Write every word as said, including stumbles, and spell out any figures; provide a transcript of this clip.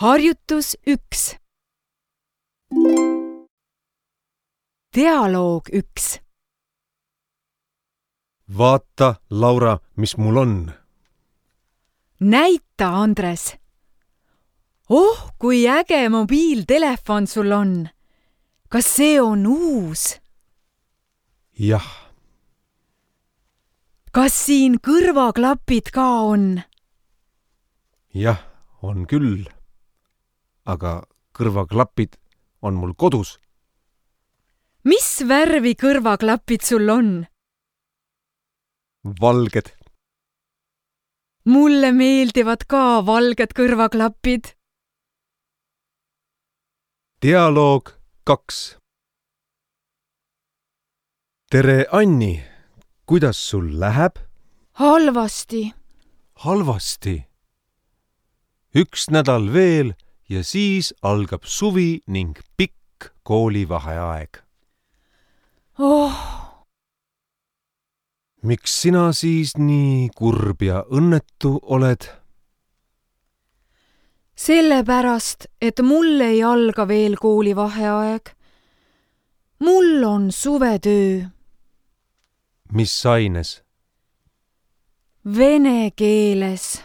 Harjutus üks. Dialoog üks. Vaata, Laura, mis mul on. Näita, Andres. Oh, kui äge mobiiltelefon sul on. Kas see on uus? Jah. Kas siin kõrvaklapid ka on? Jah, on küll. Aga kõrvaklapid on mul kodus. Mis värvi kõrvaklapid sul on? Valged. Mulle meeldivad ka valged kõrvaklapid. Dialoog kaks. Tere, Anni. Kuidas sul läheb? Halvasti. Halvasti. Üks nädal veel ja siis algab suvi ning pikk koolivaheaeg. Oh. Miks sina siis nii kurb ja õnnetu oled? Sellepärast, et mul ei alga veel koolivaheaeg. Mul on suvetöö. Mis aines? Vene keeles.